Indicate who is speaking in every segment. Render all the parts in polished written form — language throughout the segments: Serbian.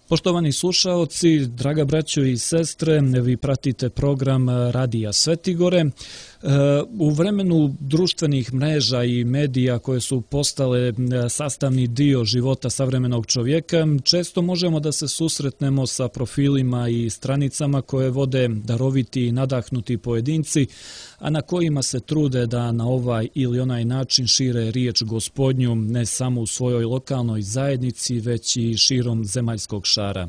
Speaker 1: Poštovani slušaoci, draga braćo i sestre, vi pratite program Radija Svetigore. U vremenu društvenih mreža i medija koje su postale sastavni dio života savremenog čovjeka, često možemo da se susretnemo sa profilima i stranicama koje vode daroviti i nadahnuti pojedinci, a na kojima se trude da na ovaj ili onaj način šire riječ Gospodnju ne samo u svojoj lokalnoj zajednici, već i širom zemaljskog šara.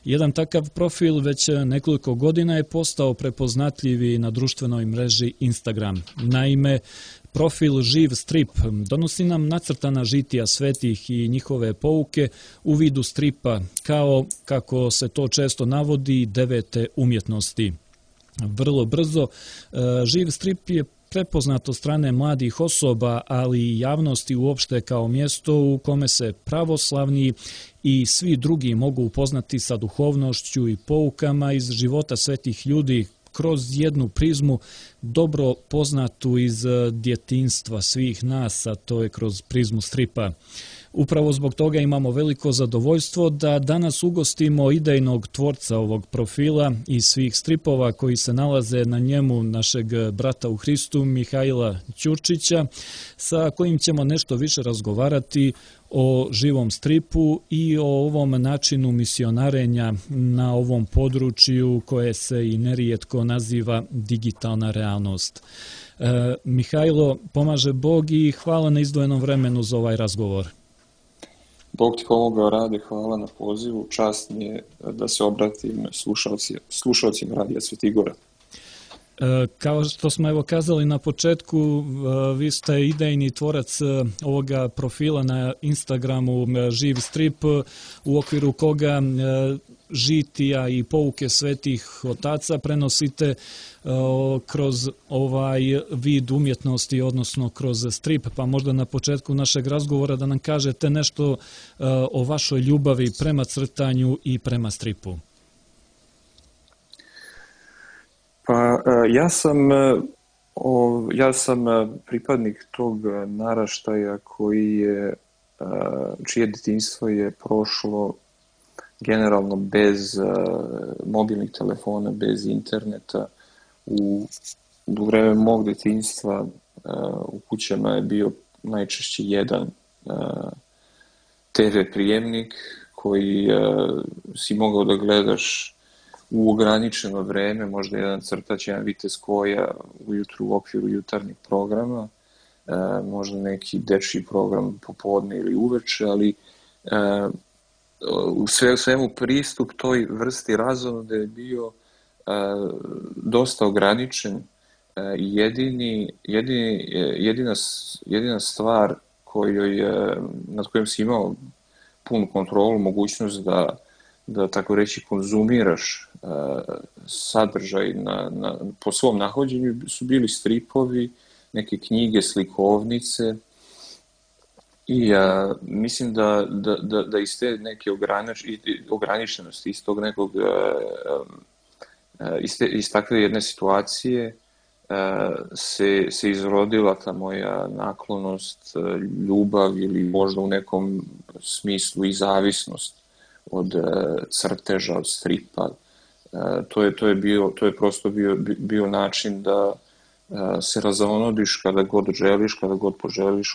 Speaker 1: Jedan takav profil već nekoliko godina je postao prepoznatljivi na društvenoj mreži Instagram. Naime, profil Živ strip donosi nam nacrtana žitija svetih i njihove pouke u vidu stripa, kao, kako se to često navodi, devete umjetnosti. Vrlo brzo Živ strip je prepoznat od strane mladih osoba, ali i javnosti uopšte kao mjesto u kome se pravoslavni i svi drugi mogu upoznati sa duhovnošću i poukama iz života svetih ljudi kroz jednu prizmu dobro poznatu iz djetinjstva svih nas, a to je kroz prizmu stripa. Upravo zbog toga imamo veliko zadovoljstvo da danas ugostimo idejnog tvorca ovog profila i svih stripova koji se nalaze na njemu, našeg brata u Hristu, Mihajla Ćurčića, sa kojim ćemo nešto više razgovarati o živom stripu i o ovom načinu misionarenja na ovom području koje se i nerijetko naziva digitalna realnost. Mihajlo, pomaže Bog i hvala na izdvojenom vremenu za ovaj razgovor.
Speaker 2: Bog ti pomogao, Rade, hvala na pozivu. Čast mi je da se obratim slušalcima Radija Svetigora.
Speaker 1: Kao što smo evo kazali na početku, vi ste idejni tvorac ovoga profila na Instagramu Živ strip, u okviru koga žitija i pouke svetih otaca prenosite kroz ovaj vid umjetnosti, odnosno kroz strip. Pa možda na početku našeg razgovora da nam kažete nešto o vašoj ljubavi prema crtanju i prema stripu.
Speaker 2: Pa ja sam pripadnik tog naraštaja čije djetinjstvo je prošlo generalno bez mobilnih telefona, bez interneta. U vreme mog djetinjstva u kućama je bio najčešće jedan TV prijemnik koji si mogao da gledaš u ograničeno vreme, možda jedan crtač, jedan vitez koja ujutru u okviru jutarnjeg programa, možda neki dečji program popodne ili uveče, ali u svemu pristup toj vrsti razonode je bio dosta ograničen. Jedina stvar nad kojom si imao punu kontrolu, mogućnost da tako reći konzumiraš sadržaj po svom nahođenju su bili stripovi, neke knjige, slikovnice i mislim da iz te neke ograničenosti, iz tog nekog iz takve jedne situacije se izrodila ta moja naklonost, ljubav ili možda u nekom smislu i zavisnost od crteža, od stripa. To je prosto bio način da se razonodiš kada god želiš, kada god poželiš,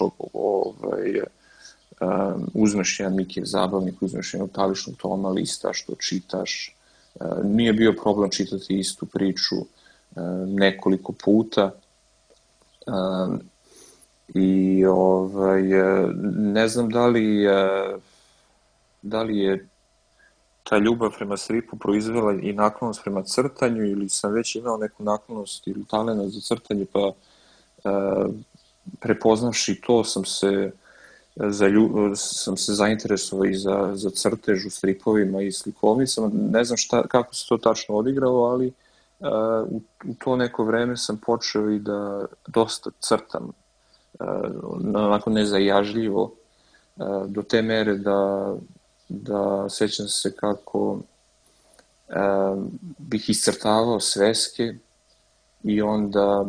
Speaker 2: uzmeš jedan Mikijev zabavnik, uzmeš jednog taličnog toma, listaš, to čitaš. Nije bio problem čitati istu priču nekoliko puta. I ne znam da li je ta ljubav prema stripu proizvela i naklonost prema crtanju ili sam već imao neku naklonost ili talent za crtanje, pa prepoznavši to sam se zainteresovao i za crtež u stripovima i slikovnicama. Ne znam kako se to tačno odigralo, ali u to neko vreme sam počeo i da dosta crtam, onako nezajažljivo, do te mere da sećam se kako bih iscrtavao sveske i onda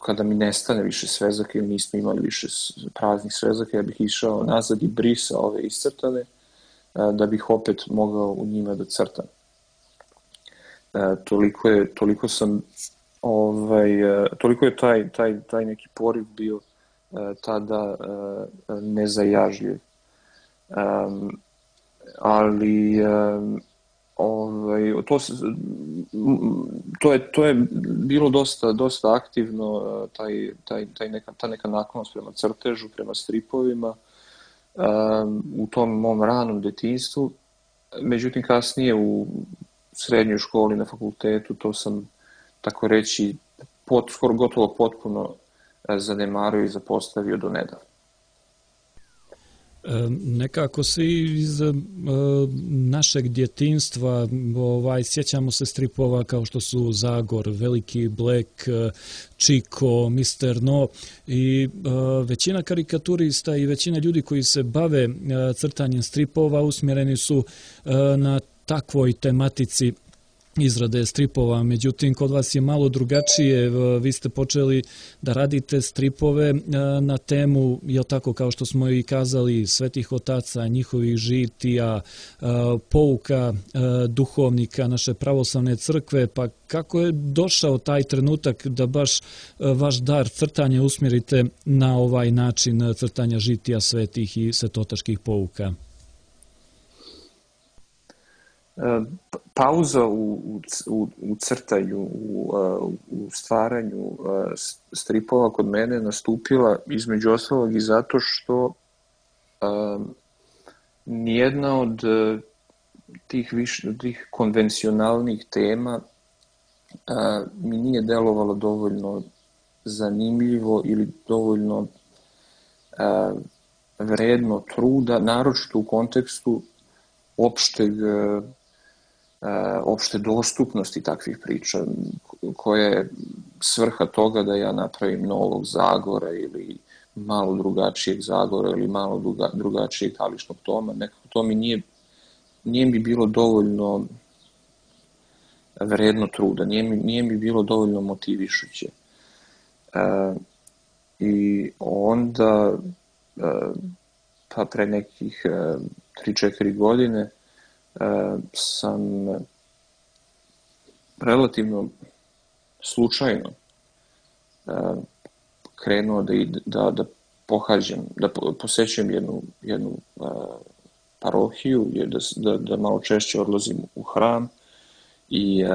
Speaker 2: kada mi nestane više svezaka ili nismo imali više praznih svezaka, ja bih išao nazad i brisao ove iscrtane da bih opet mogao u njima da crtam. Toliko je taj neki poriv bio tada nezajažljiv. Ali to je bilo dosta aktivno, ta neka naklonost prema crtežu, prema stripovima u tom mom ranom detinjstvu. Međutim, kasnije u srednjoj školi, na fakultetu, to sam, tako reći, skoro gotovo potpuno zanemario i zapostavio do nedavno.
Speaker 1: Nekako svi iz našeg djetinjstva sjećamo se stripova kao što su Zagor, Veliki Black, Čiko, Mr. No i većina karikaturista i većina ljudi koji se bave crtanjem stripova usmjereni su na takvoj tematici izrade stripova. Međutim, kod vas je malo drugačije. Vi ste počeli da radite stripove na temu, jel tako, kao što smo i kazali, svetih otaca, njihovih žitija, pouka duhovnika naše pravoslavne crkve. Pa kako je došao taj trenutak da baš vaš dar crtanja usmjerite na ovaj način crtanja žitija svetih i svetotačkih pouka?
Speaker 2: Pauza u crtanju, u stvaranju stripova kod mene nastupila između ostalog i zato što nijedna od tih konvencionalnih tema mi nije delovalo dovoljno zanimljivo ili dovoljno vredno truda, naročito u kontekstu opšte dostupnosti takvih priča, koja je svrha toga da ja napravim novog Zagora ili malo drugačijeg Zagora ili malo drugačijeg Tališnog toma. Nekako to mi nije mi bilo dovoljno vredno truda, nije mi bilo dovoljno motivišuće. I onda, pa pre nekih 3-4 godine, sam relativno slučajno krenuo da pohađam, da posećujem jednu parohiju, da malo češće odlazim u hram i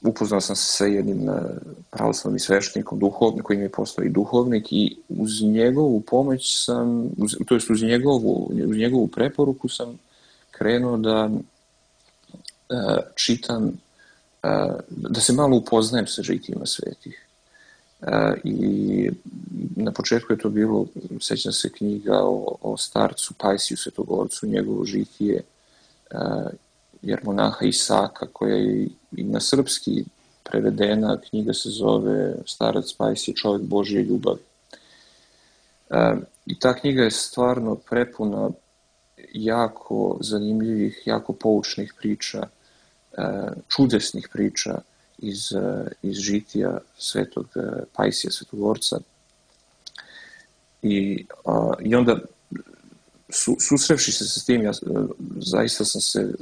Speaker 2: upoznao sam se sa jednim pravoslavnim sveštenikom, koji mi je postao i duhovnik, i uz njegovu pomoć to jest uz njegovu preporuku sam krenuo da čitam, da se malo upoznajem sa žitijima svetih. I na početku je to bilo, sećam se, knjiga o starcu Pajsiju Svetogorcu, njegovo žitije, jermonaha Isaka, koja je i na srpski prevedena. Knjiga se zove Starac Pajsije, čovjek Božje ljubavi. I ta knjiga je stvarno prepuna jako zanimljivih, jako poučnih priča, čudesnih priča iz žitija svetog Pajsija Svetogorca. I onda, susrevši se sa tim, zaista sam se...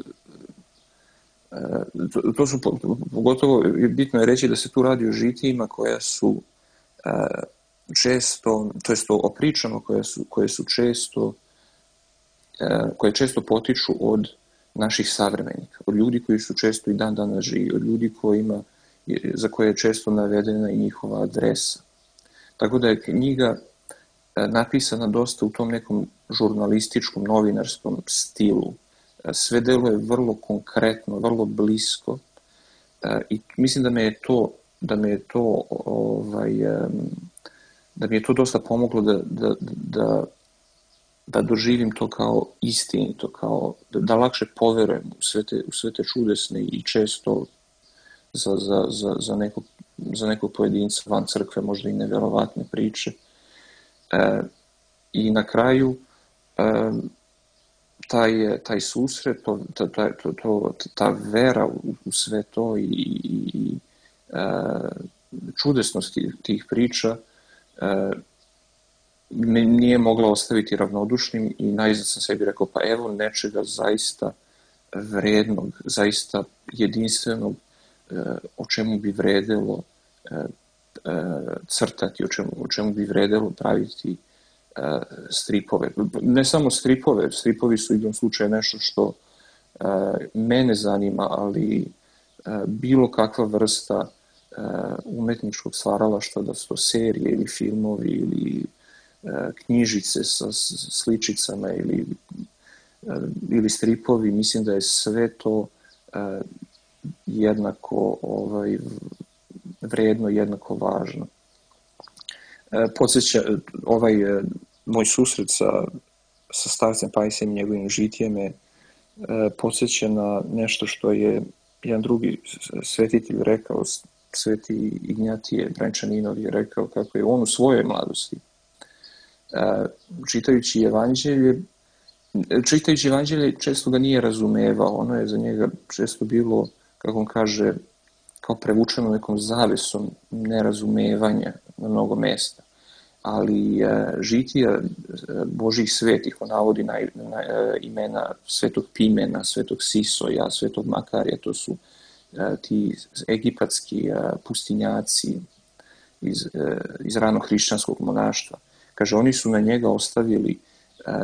Speaker 2: To su, pogotovo bitno je reći da se tu radi o žitijima koja su često, to jest o pričama koje često potiču od naših savremenika, od ljudi koji su često i dan danas živi, od ljudi za koje je često navedena i njihova adresa. Tako da je knjiga napisana dosta u tom nekom žurnalističkom, novinarskom stilu. Sve deluje vrlo konkretno, vrlo blisko, i mislim da mi je to dosta pomoglo da doživim to kao istinito, da lakše poverujem u sve te čudesne i često za nekog pojedinca van crkve možda i neverovatne priče. I na kraju taj susret, ta vera u sve to i čudesnost tih priča nije mogla ostaviti ravnodušnim i najzad sam sebi rekao, pa evo nečega zaista vrednog, zaista jedinstvenog, o čemu bi vredelo crtati, o čemu bi vredelo praviti stripove. Ne samo stripove, stripovi su u jednom slučaju nešto što mene zanima, ali bilo kakva vrsta umetničkog stvaralaštva, da su to serije ili filmovi ili knjižice sa sličicama ili stripovi, mislim da je sve to jednako vredno, jednako važno. Podsjeća, moj susret sa starcem Pajsem i njegovim žitjem me podsjeća na nešto što je jedan drugi svetitelj rekao, sveti Ignjatije Brančaninov je rekao kako je on u svojoj mladosti, čitajući evanđelje često ga nije razumevao, ono je za njega često bilo, kako on kaže, kao prevučeno nekom zavesom nerazumevanja na mnogo mesta. Ali žitija Božih svetih, on navodi na imena svetog Pimena, svetog Sisoja, svetog Makarija, to su ti egipatski pustinjaci iz ranog hrišćanskog monaštva. Kaže, oni su na njega ostavili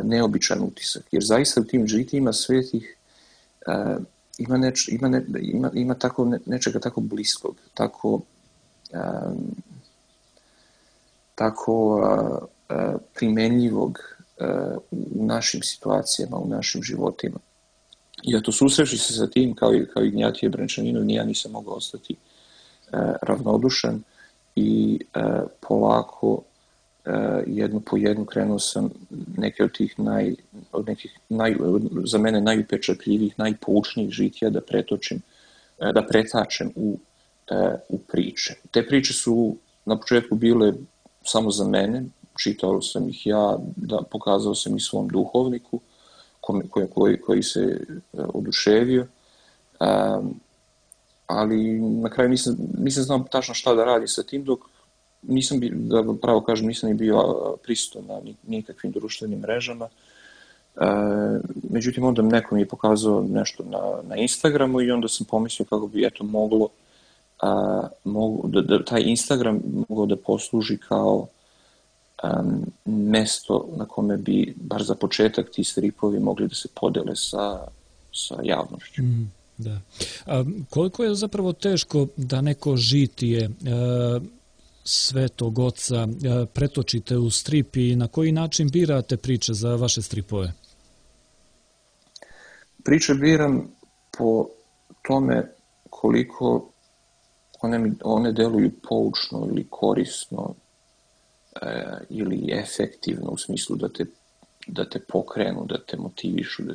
Speaker 2: neobičan utisak, jer zaista u tim žitijima svetih ima nečega tako bliskog, tako primenljivog u našim situacijama, u našim životima. I eto, susreći se sa tim, kao i Ignjatije Brančaninov, ja nisam mogao ostati ravnodušan i polako jednu po jednu krenuo sam neke od tih za mene najupečatljivijih, najpoučnijih žitija da pretačem u priče. Te priče su na početku bile samo za mene, čitao sam ih ja, pokazao sam ih svom duhovniku koji se oduševio, ali na kraju nisam znao tačno šta da radi sa tim, dok nisam ni bio prisutan na nikakvim društvenim mrežama. Međutim, onda neko mi je pokazao nešto na Instagramu i onda sam pomislio kako bi moglo da taj Instagram mogao da posluži kao mesto na kome bi, bar za početak, ti stripovi mogli da se podele sa javnošću.
Speaker 1: Da. A koliko je zapravo teško da neko žitije Svetog Oca pretočite u strip i na koji način birate priče za vaše stripove?
Speaker 2: Priče biram po tome koliko one deluju poučno ili korisno ili efektivno, u smislu da te pokrenu, da te motivišu, da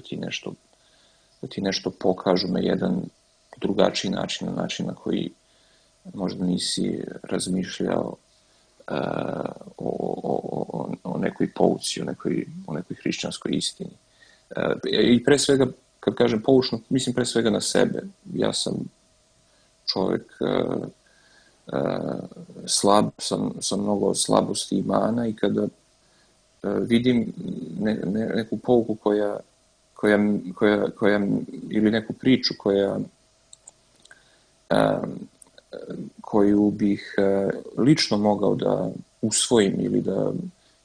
Speaker 2: ti nešto pokažu na jedan drugačiji način, na način na koji možda nisi razmišljao o nekoj pouci, o nekoj hrišćanskoj istini. I pre svega, kad kažem poučno, mislim pre svega na sebe. Ja sam čovjek slab, sam mnogo slabosti i mana i kada vidim neku pouku koja ili neku priču koju bih lično mogao da usvojim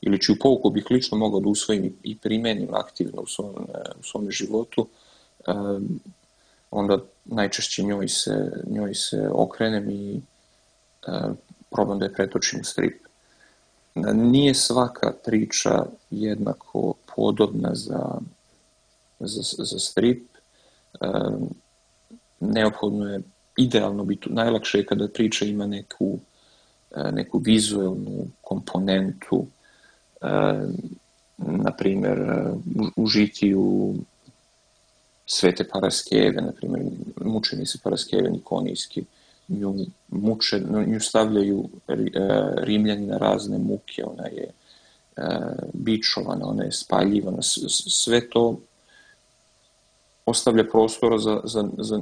Speaker 2: ili čiju pouku bih lično mogao da usvojim i primenim aktivno u svom životu, onda najčešće njoj se okrenem i probam da je pretočim u strip. Nije svaka priča jednako podobna za strip. Neophodno je, idealno bi najlakše je kada priča ima neku vizuelnu komponentu, na primjer u žitiju Svete Paraskeve, na primjer mučenici Paraskeve Nikonijski, nju stavljaju Rimljani na razne muke, ona je bičovana, ona je spaljivana, sve to ostavlja prostora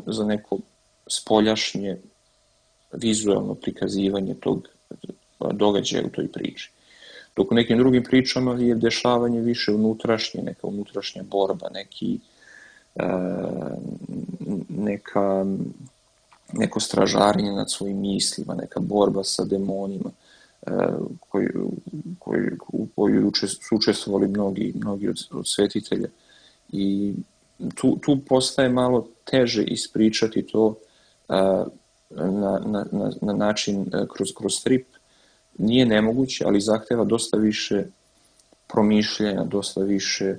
Speaker 2: za neko spoljašnje vizualno prikazivanje tog događaja u toj priči. Dok u nekim drugim pričama je dešavanje više unutrašnje, neka unutrašnja borba, neko stražarenje nad svojim mislima, neka borba sa demonima, u kojoj su učestvovali mnogi od svetitelja. I tu postaje malo teže ispričati to na način kroz strip. Nije nemoguće, ali zahteva dosta više promišljanja, dosta više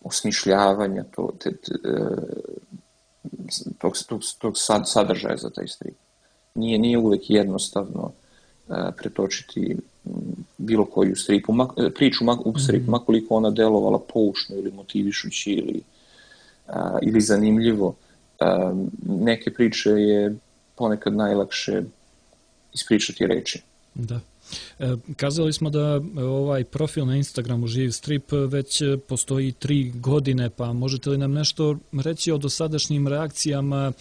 Speaker 2: osmišljavanja tog sadržaja za taj strip. Nije uvek jednostavno pretočiti bilo koju priču u stripu, makoliko ona delovala poučno ili motivišući ili zanimljivo. Neke priče je ponekad najlakše ispričati reči.
Speaker 1: Da. Kazali smo da ovaj profil na Instagramu Živ strip već postoji 3 godine, pa možete li nam nešto reći o dosadašnjim reakcijama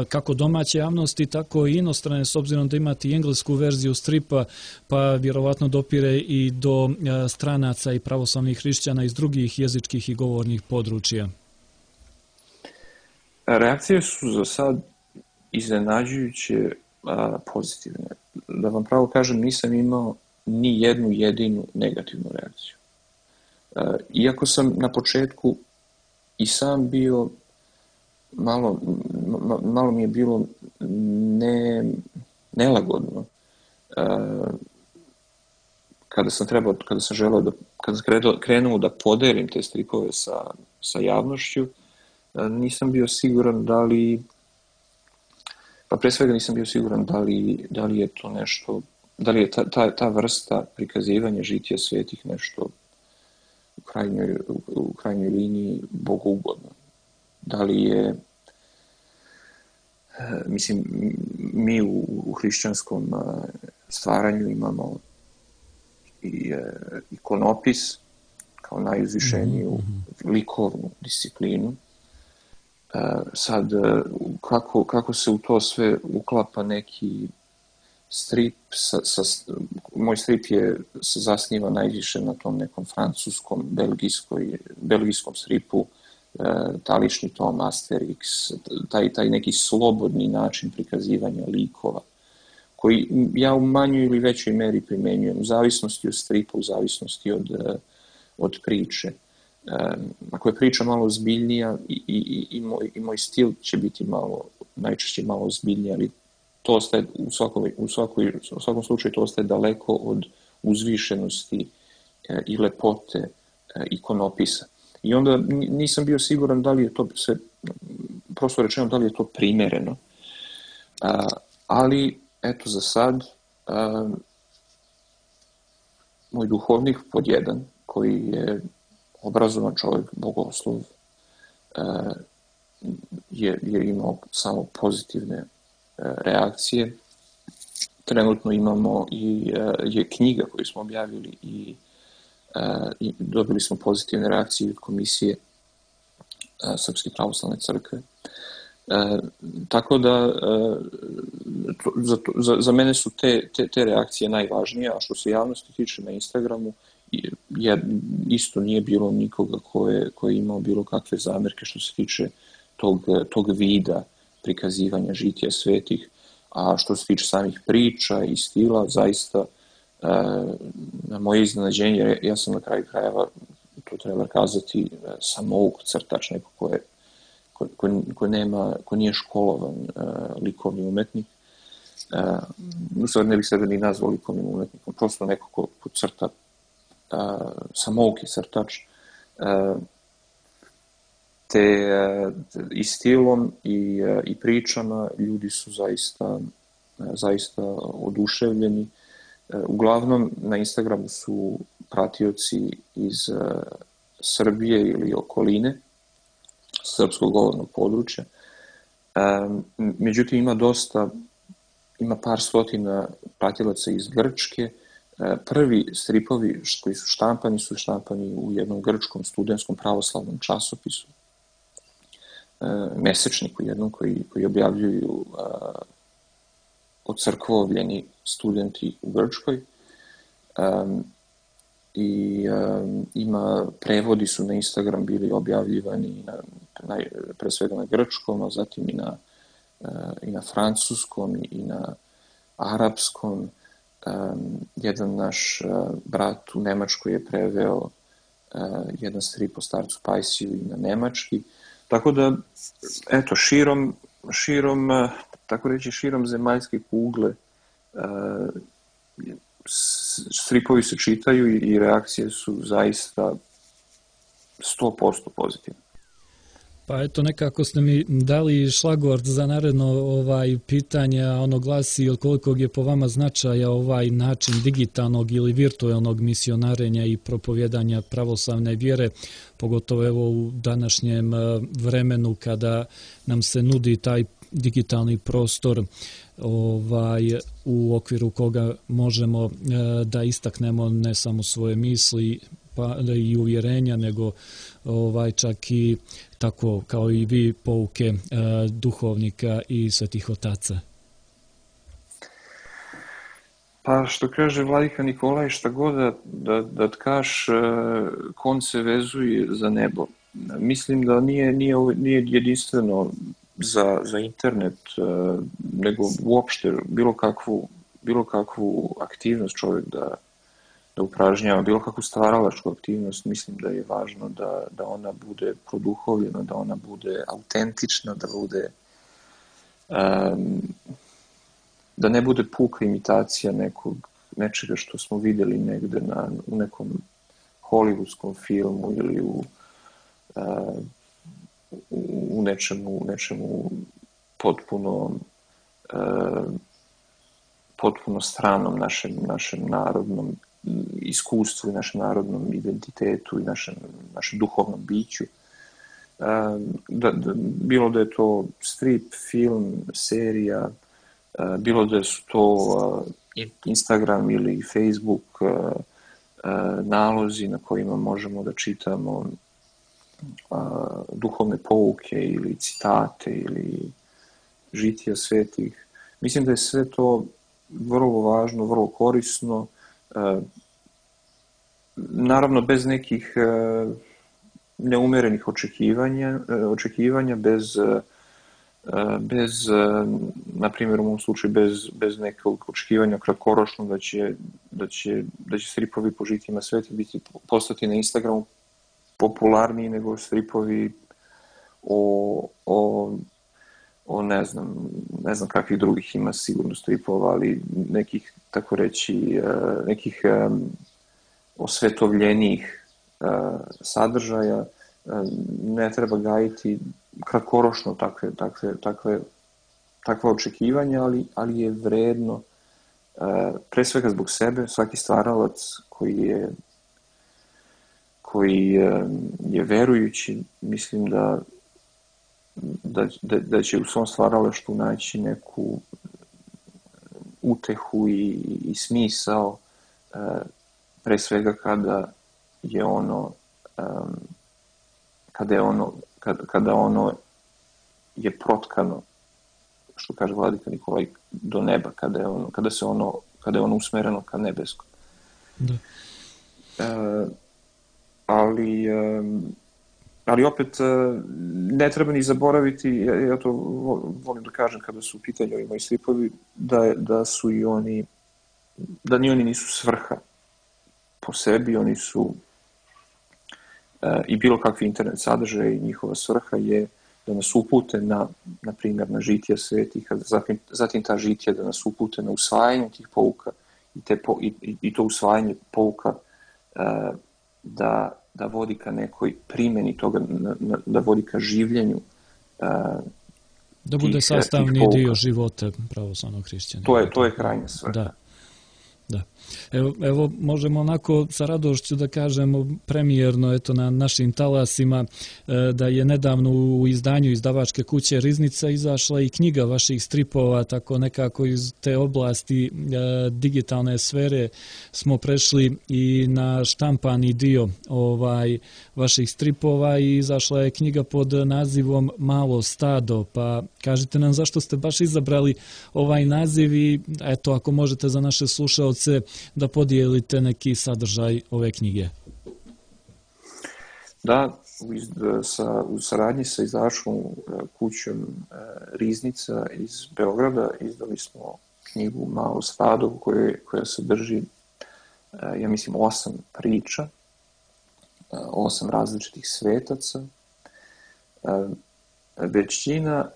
Speaker 1: kako domaće javnosti, tako i inostrane, s obzirom da imate i englesku verziju stripa, pa vjerovatno dopire i do stranaca i pravoslavnih hrišćana iz drugih jezičkih i govornih područja?
Speaker 2: Reakcije su za sad iznenađujuće pozitivne. Da vam pravo kažem, nisam imao ni jednu jedinu negativnu reakciju. Iako sam na početku i sam bio, malo mi je bilo nelagodno kada sam krenuo da podelim te stripove sa javnošću, nisam bio siguran pre svega nisam bio siguran da li je to nešto, da li je ta vrsta prikazivanja žitija svetih nešto u krajnjoj liniji bogougodno. Da li je, mislim, mi u hrišćanskom stvaranju imamo i ikonopis kao najuzvišeniju likovnu disciplinu. Sad, kako se u to sve uklapa neki strip, moj strip se zasniva najviše na tom nekom francuskom, belgijskom stripu, talični tom, Asterix, taj neki slobodni način prikazivanja likova, koji ja u manjoj ili većoj meri primenjujem, u zavisnosti od stripa, u zavisnosti od priče. Ako je priča malo ozbiljnija i moj stil će biti najčešće malo ozbiljniji, ali to ostaje u svakom slučaju to ostaje daleko od uzvišenosti i lepote ikonopisa. I onda nisam bio siguran da li je to sve, prosto rečeno, da li je to primereno. Ali, eto, za sad, moj duhovnik pod jedan, koji je obrazovan čovjek, bogoslov, je imao samo pozitivne reakcije. Trenutno imamo je knjiga koju smo objavili i dobili smo pozitivne reakcije od Komisije Srpske pravoslavne crkve. Tako da za mene su te reakcije najvažnije, a što se javnosti tiče na Instagramu, isto nije bilo nikoga ko je imao bilo kakve zamerke što se tiče tog vida prikazivanja žitija svetih, a što se tiče samih priča i stila, zaista na moje iznenađenje, ja sam na kraju krajeva, to treba kazati, samouk crtač, neko ko nije školovan likovni umetnik. U stvari ne bih sebe ni nazvao likovnim umetnikom, prosto neko ko crta, samouki crtač, te i stilom i pričama ljudi su zaista oduševljeni. Uglavnom na Instagramu su pratioci iz Srbije ili okoline, srpskog govornog područja. Međutim, ima par stotina pratilaca iz Grčke. Prvi stripovi koji su štampani u jednom grčkom studentskom pravoslavnom časopisu, mesečniku jednom koji objavljuju ocrkvovljeni studenti u Grčkoj. I prevodi su na Instagram bili objavljivani pre svega na grčkom, a zatim i na francuskom i na arapskom. Jedan naš brat u Nemačkoj je preveo jedan strip o starcu Pajsiju i na nemački. Tako da, eto, širom zemaljske kugle stripovi se čitaju i reakcije su zaista 100% pozitivne.
Speaker 1: Pa eto, nekako ste mi dali šlagvort za naredno pitanje, a ono glasi od kolikog je po vama značaja ovaj način digitalnog ili virtualnog misionarenja i propovjedanja pravoslavne vjere, pogotovo evo u današnjem vremenu kada nam se nudi taj digitalni prostor u okviru koga možemo da istaknemo ne samo svoje misli pa i uvjerenja, nego čak i tako kao i vi pouke duhovnika i svetih otaca.
Speaker 2: Pa što kaže vladika Nikolaj, šta god da tkaš, kon se vezuje za nebo. Mislim da nije jedinstveno za internet, nego uopšte bilo kakvu aktivnost čovjek da upražnjava, bilo kakvu stvaralačku aktivnost. Mislim da je važno da ona bude produhovljena, da ona bude autentična, da ne bude puka imitacija nečega što smo vidjeli negde u nekom hollywoodskom filmu ili u nečemu potpuno stranom našem narodnom iskustvu i našem narodnom identitetu i našem duhovnom biću. Bilo da je to strip, film, serija, bilo da su to Instagram ili Facebook nalozi na kojima možemo da čitamo duhovne pouke ili citate ili žitija svetih. Mislim da je sve to vrlo važno, vrlo korisno, naravno bez nekih neumerenih očekivanja, bez na primjer u mom slučaju bez nekog očekivanja kratkoročno da će stripovi po žitijima sveta postati na Instagramu popularniji nego stripovi o ne znam kakvih drugih ima sigurno stripova, ali nekih, tako reći, nekih osvetovljenijih sadržaja. Ne treba gajiti kratkoročno takve očekivanja, ali je vredno pre svega zbog sebe. Svaki stvaralac koji je verujući, mislim da će u svom stvaralaštvu naći neku utehu i smisao, pre svega kada ono je protkano, što kaže vladika Nikolaj, do neba, kada je ono usmereno ka nebeskom.
Speaker 1: Da.
Speaker 2: Ali opet ne treba ni zaboraviti, ja to volim da kažem kada su u pitanju ovi moji stripovi, da su i oni, da ni oni nisu svrha po sebi, oni su i bilo kakvi internet sadržaj, njihova svrha je da nas upute na primjer na žitija svetih, zatim ta žitija da nas upute na usvajanje tih pouka i to usvajanje pouka da vodi ka nekoj primjeni toga, da vodi ka življenju.
Speaker 1: Da bude sastavni dio života pravoslavnog hrišćana.
Speaker 2: To je krajnja svrha.
Speaker 1: Da. Evo, možemo onako sa radošću da kažemo premijerno na našim talasima da je nedavno u izdanju izdavačke kuće Riznica izašla i knjiga vaših stripova, tako nekako iz te oblasti digitalne sfere smo prešli i na štampani dio vaših stripova i izašla je knjiga pod nazivom Malo stado, pa kažite nam zašto ste baš izabrali ovaj naziv i eto, ako možete za naše slušaoce slušalce da podijelite neki sadržaj ove knjige.
Speaker 2: Da, u saradnji sa izdavačkom kućom Riznica iz Beograda izdali smo knjigu Malo stado koja sadrži, ja mislim, 8 priča, 8 različitih svetaca. Većina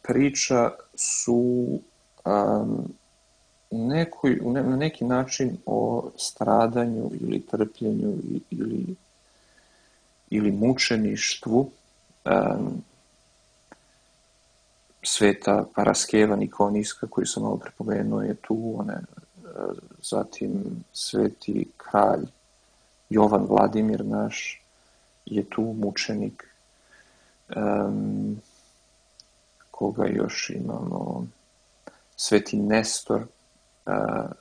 Speaker 2: priča su na neki način o stradanju ili trpljenju ili mučeništvu. Sveta Paraskeva Nikoniska, koju sam malo prepomenuo, je tu. Zatim sveti kralj Jovan Vladimir naš je tu, mučenik. Koga još imamo? Sveti Nestor,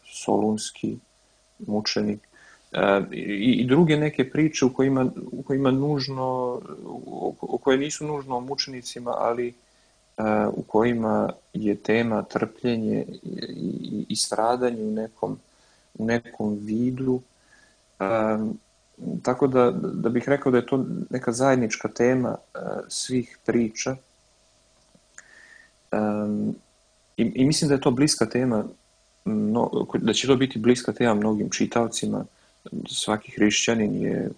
Speaker 2: solunski mučenik. I druge neke priče u kojima nužno, u koje nisu nužno o mučenicima, ali u kojima je tema trpljenje i stradanje u nekom vidu. Tako da bih rekao da je to neka zajednička tema svih priča. I mislim da je to bliska tema, da će to biti bliska tema mnogim čitaocima. Svaki hrišćanin je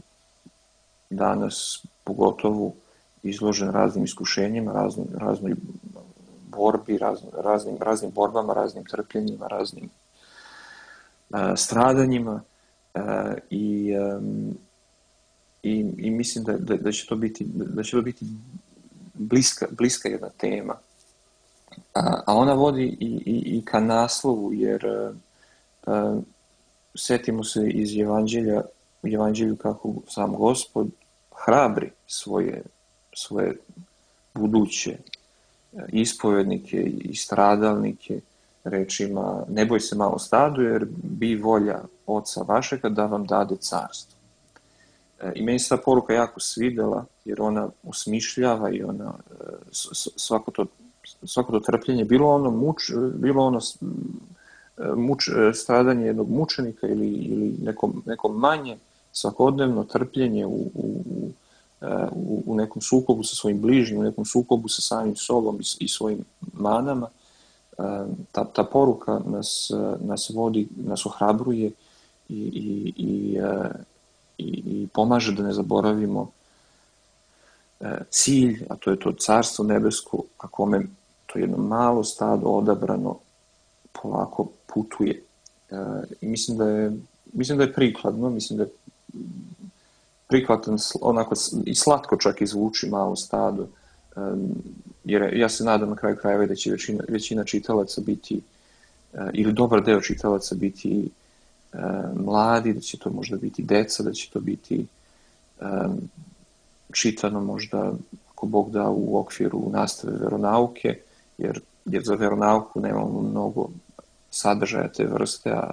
Speaker 2: danas pogotovo izložen raznim iskušenjima, raznoj borbi, raznim borbama, raznim trpljenjima, raznim stradanjima. I mislim da će to biti bliska jedna tema. A ona vodi i ka naslovu, jer setimo se iz Evanđelju kako sam Gospod hrabri svoje buduće ispovednike i stradalnike rečima: ne boj se, malo stado, jer bi volja Oca vašega da vam dade carstvo. I meni se ta poruka jako svidela, jer ona osmišljava i ona svako to trpljenje, bilo ono stradanje jednog mučenika ili neko manje svakodnevno trpljenje u nekom sukobu sa svojim bližnjim, u nekom sukobu sa samim sobom i svojim manama. Ta poruka nas vodi, nas ohrabruje i pomaže da ne zaboravimo cilj, a to je to carstvo nebesko, ka kome to jedno malo stado odabrano polako putuje. I mislim da je prikladno, mislim da je prikladan, onako i slatko čak izvuči Malo stado, jer ja se nadam na kraju krajeva da će većina čitalaca biti, ili dobar deo čitalaca biti mladi, da će to možda biti deca, da će to biti čitano možda, ako Bog da, u okviru nastave veronauke, jer za veronauku nemamo mnogo sadržaja te vrste, a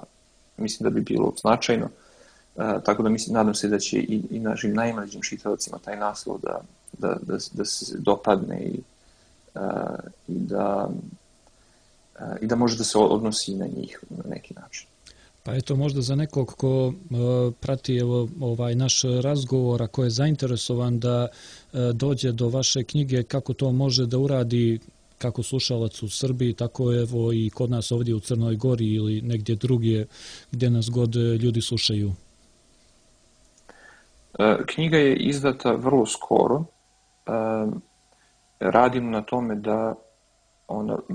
Speaker 2: mislim da bi bilo značajno. Tako da nadam se da će i našim najmlađim čitavacima taj naslov da se dopadne i da može da se odnosi na njih na neki način.
Speaker 1: Pa eto, možda za nekog ko prati ovaj naš razgovor, a ko je zainteresovan da dođe do vaše knjige, kako to može da uradi, kako slušalac u Srbiji, tako evo i kod nas ovdje u Crnoj Gori ili negdje drugdje gdje nas god ljudi slušaju.
Speaker 2: Knjiga je izdata vrlo skoro. Radim na tome da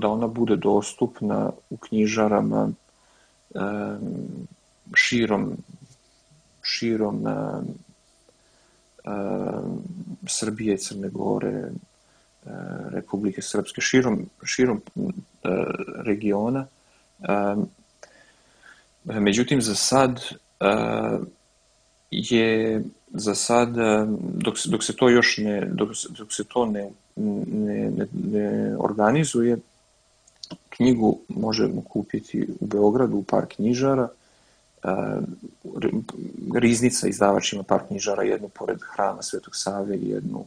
Speaker 2: ona bude dostupna u knjižarama širom Srbije, Crne Gore, Republike Srpske, širom regiona. Međutim, za sad dok se to još ne organizuje, knjigu možemo kupiti u Beogradu u par knjižara. Riznica izdavač ima par knjižara, jednu pored Hrama Svetog Save i jednu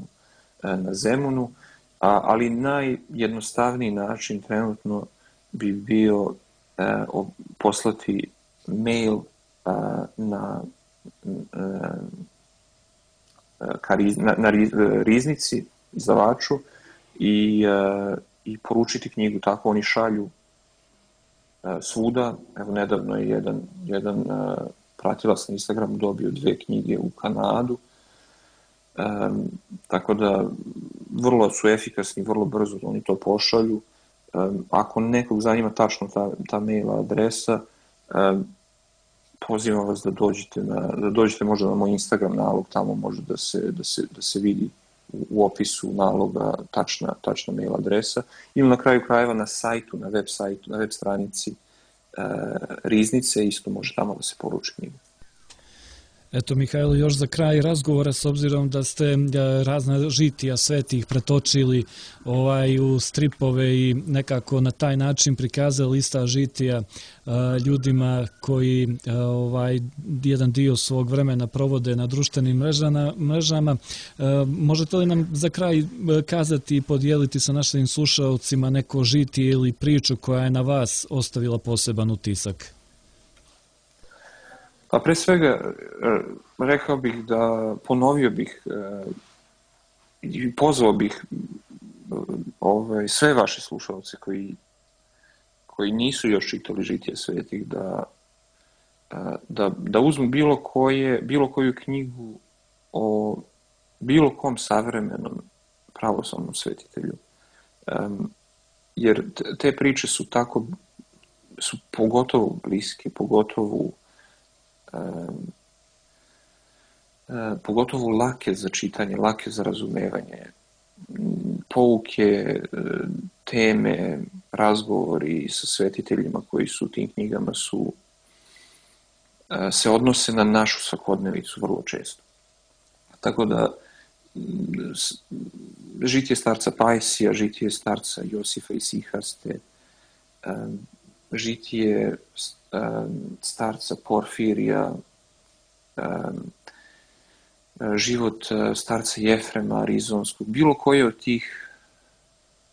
Speaker 2: na Zemunu, ali najjednostavniji način trenutno bi bio poslati mail na riznici, izdavaču i poručiti knjigu. Tako oni šalju svuda. Evo, nedavno je jedan pratilac na Instagramu dobio 2 knjige u Kanadu. Tako da vrlo su efikasni, vrlo brzo oni to pošalju. Ako nekog zanima tačno ta mail adresa, pozivam vas da dođete možda na moj Instagram nalog, tamo može da se vidi u opisu naloga tačna mail adresa, ili na kraju krajeva na sajtu, na web stranici riznice, isto može tamo da se poruči knjiga.
Speaker 1: Eto, Mihajlo, još za kraj razgovora, s obzirom da ste razna žitija svetih pretočili u stripove i nekako na taj način prikazali ista žitija ljudima koji jedan dio svog vremena provode na društvenim mrežama. Možete li nam za kraj kazati i podijeliti sa našim slušalcima neko žitije ili priču koja je na vas ostavila poseban utisak?
Speaker 2: Pa pre svega rekao bih ponovio bih i pozvao bih sve vaše slušalce koji nisu još čitali žitije svetih da uzmu bilo koju knjigu o bilo kom savremenom pravoslavnom svetitelju. Jer te priče su pogotovo bliske, pogotovo lake za čitanje, lake za razumevanje. Pouke, teme, razgovori sa svetiteljima koji su u tim knjigama se odnose na našu svakodnevicu vrlo često. Tako da žitije starca Pajsija, žitije starca Josifa Isihaste, žitije starca Porfirija, život starca Jefrema Arizonskog, bilo koje od tih,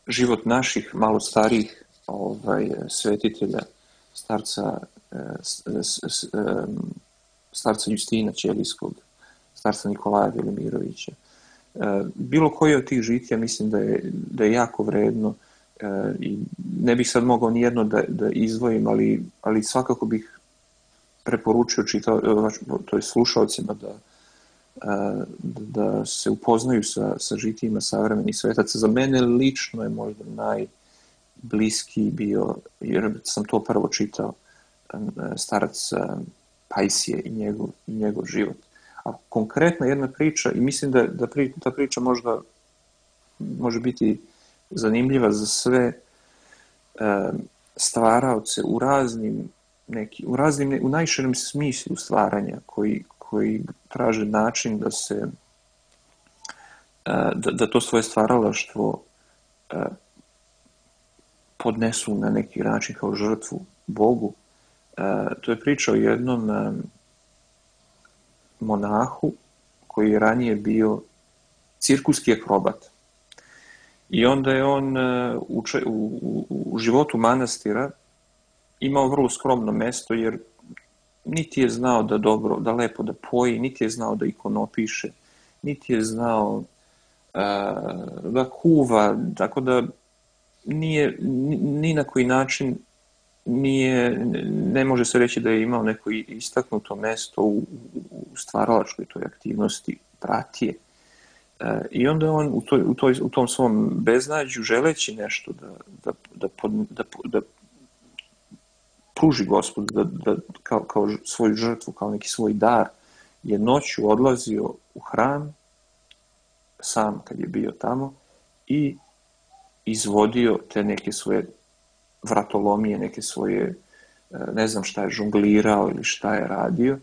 Speaker 2: život naših malo starijih svetitelja, starca Justina Ćelijskog, starca Nikolaja Velimirovića. Bilo koje od tih žitija mislim da je jako vredno i ne bih sad mogao nijedno da izdvojim, ali svakako bih preporučio slušalcima da se upoznaju sa žitijima savremenih svetaca. Za mene lično je možda najbliskiji bio, jer sam to prvo čitao, starac Pajsije i njegov život. A konkretna jedna priča, i mislim da ta priča možda može biti zanimljiva za sve stvaraoce u najširem smislu stvaranja koji traže način da to svoje stvaralaštvo podnesu na neki način kao žrtvu Bogu. To je priča o jednom monahu koji je ranije bio cirkuski akrobat. I onda je on u životu manastira imao vrlo skromno mesto, jer niti je znao da lepo da poji, niti je znao da ikonopiše, niti je znao da kuva, tako da ni na koji način ne može se reći da je imao neko istaknuto mesto u stvaralačkoj toj aktivnosti pratije. I onda on u tom svom beznađu, želeći nešto da pruži Gospodu, kao svoju žrtvu, kao neki svoj dar, je noću odlazio u hram, sam kad je bio tamo, i izvodio te neke svoje vratolomije, neke svoje, ne znam šta je, žonglirao ili šta je radio.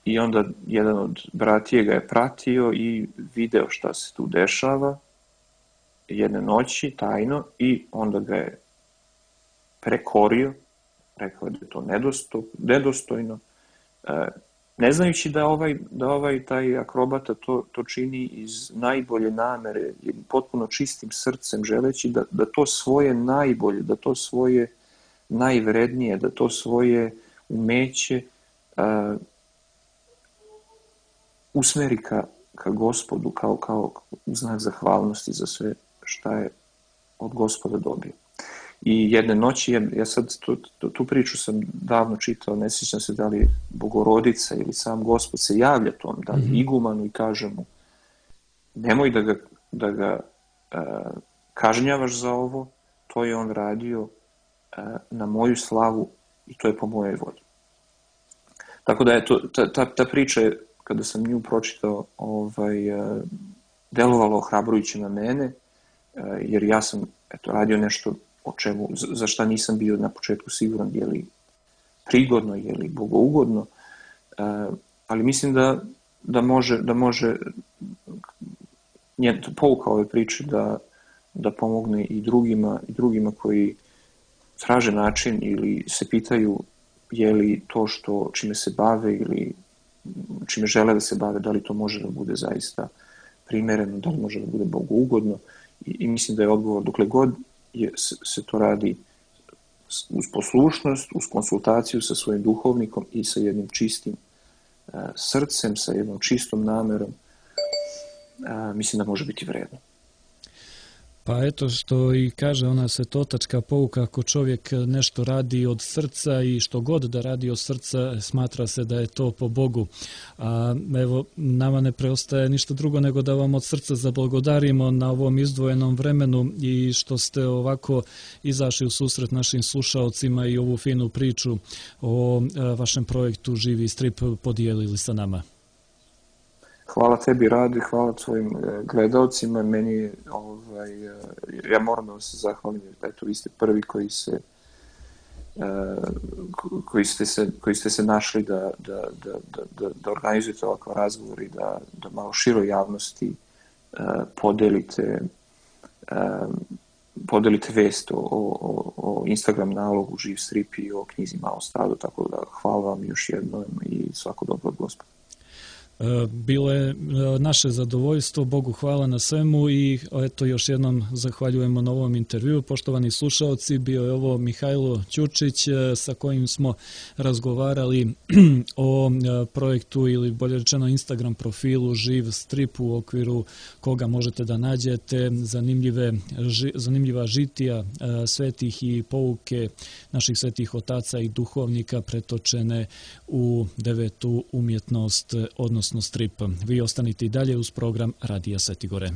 Speaker 2: I onda jedan od bratije ga je pratio i video šta se tu dešava jedne noći, tajno, i onda ga je prekorio, rekao da je to nedostojno, ne znajući da taj akrobata to čini iz najbolje namere, potpuno čistim srcem, želeći da to svoje najbolje, da to svoje najvrednije, da to svoje umeće usmeri ka Gospodu kao znak zahvalnosti za sve šta je od Gospoda dobio. I jedne noći, ja sad tu priču sam davno čitao, ne sjećam se da li Bogorodica ili sam Gospod se javlja tom, da li igumanu i kaže mu nemoj da ga kažnjavaš za ovo, to je on radio na moju slavu i to je po mojoj volji. Tako da je ta priča, kada sam nju pročitao, delovalo ohrabrujuće na mene, jer ja sam radio nešto za šta nisam bio na početku siguran je li prigodno, je li bogougodno, ali mislim da može pouka ove priče da pomogne i drugima koji traže način ili se pitaju je li to čime se bave ili čime žele da se bave, da li to može da bude zaista primereno, da li može da bude bogougodno i mislim da je odgovor dokle god se to radi uz poslušnost, uz konsultaciju sa svojim duhovnikom i sa jednim čistim srcem, sa jednom čistom namerom, mislim da može biti vredno.
Speaker 1: Pa eto što i kaže ona svetotačka pouka, ako čovjek nešto radi od srca i što god da radi od srca, smatra se da je to po Bogu. A evo, nama ne preostaje ništa drugo nego da vam od srca zablagodarimo na ovom izdvojenom vremenu i što ste ovako izašli u susret našim slušaocima i ovu finu priču o vašem projektu Živi strip podijelili sa nama.
Speaker 2: Hvala tebi, Rade, hvala tvojim gledalcima. Meni, ja moram da vam se zahvalim, eto, vi ste prvi koji ste se našli da organizujete ovakav razgovor i da malo široj javnosti podelite vest o Instagram nalogu Živ strip i o knjizi Malo stado, tako da hvala vam još jednom i svako dobro od Gospoda.
Speaker 1: Bilo je naše zadovoljstvo, Bogu hvala na svemu i eto još jednom zahvaljujemo na ovom intervjuu. Poštovani slušaoci, bio je ovo Mihajlo Ćurčić sa kojim smo razgovarali o projektu ili bolje rečeno Instagram profilu Živ strip u okviru koga možete da nađete zanimljiva žitija svetih i pouke naših svetih otaca i duhovnika pretočene u devetu umjetnost, odnosno strip. Vi ostanite i dalje uz program Radija Svetigore.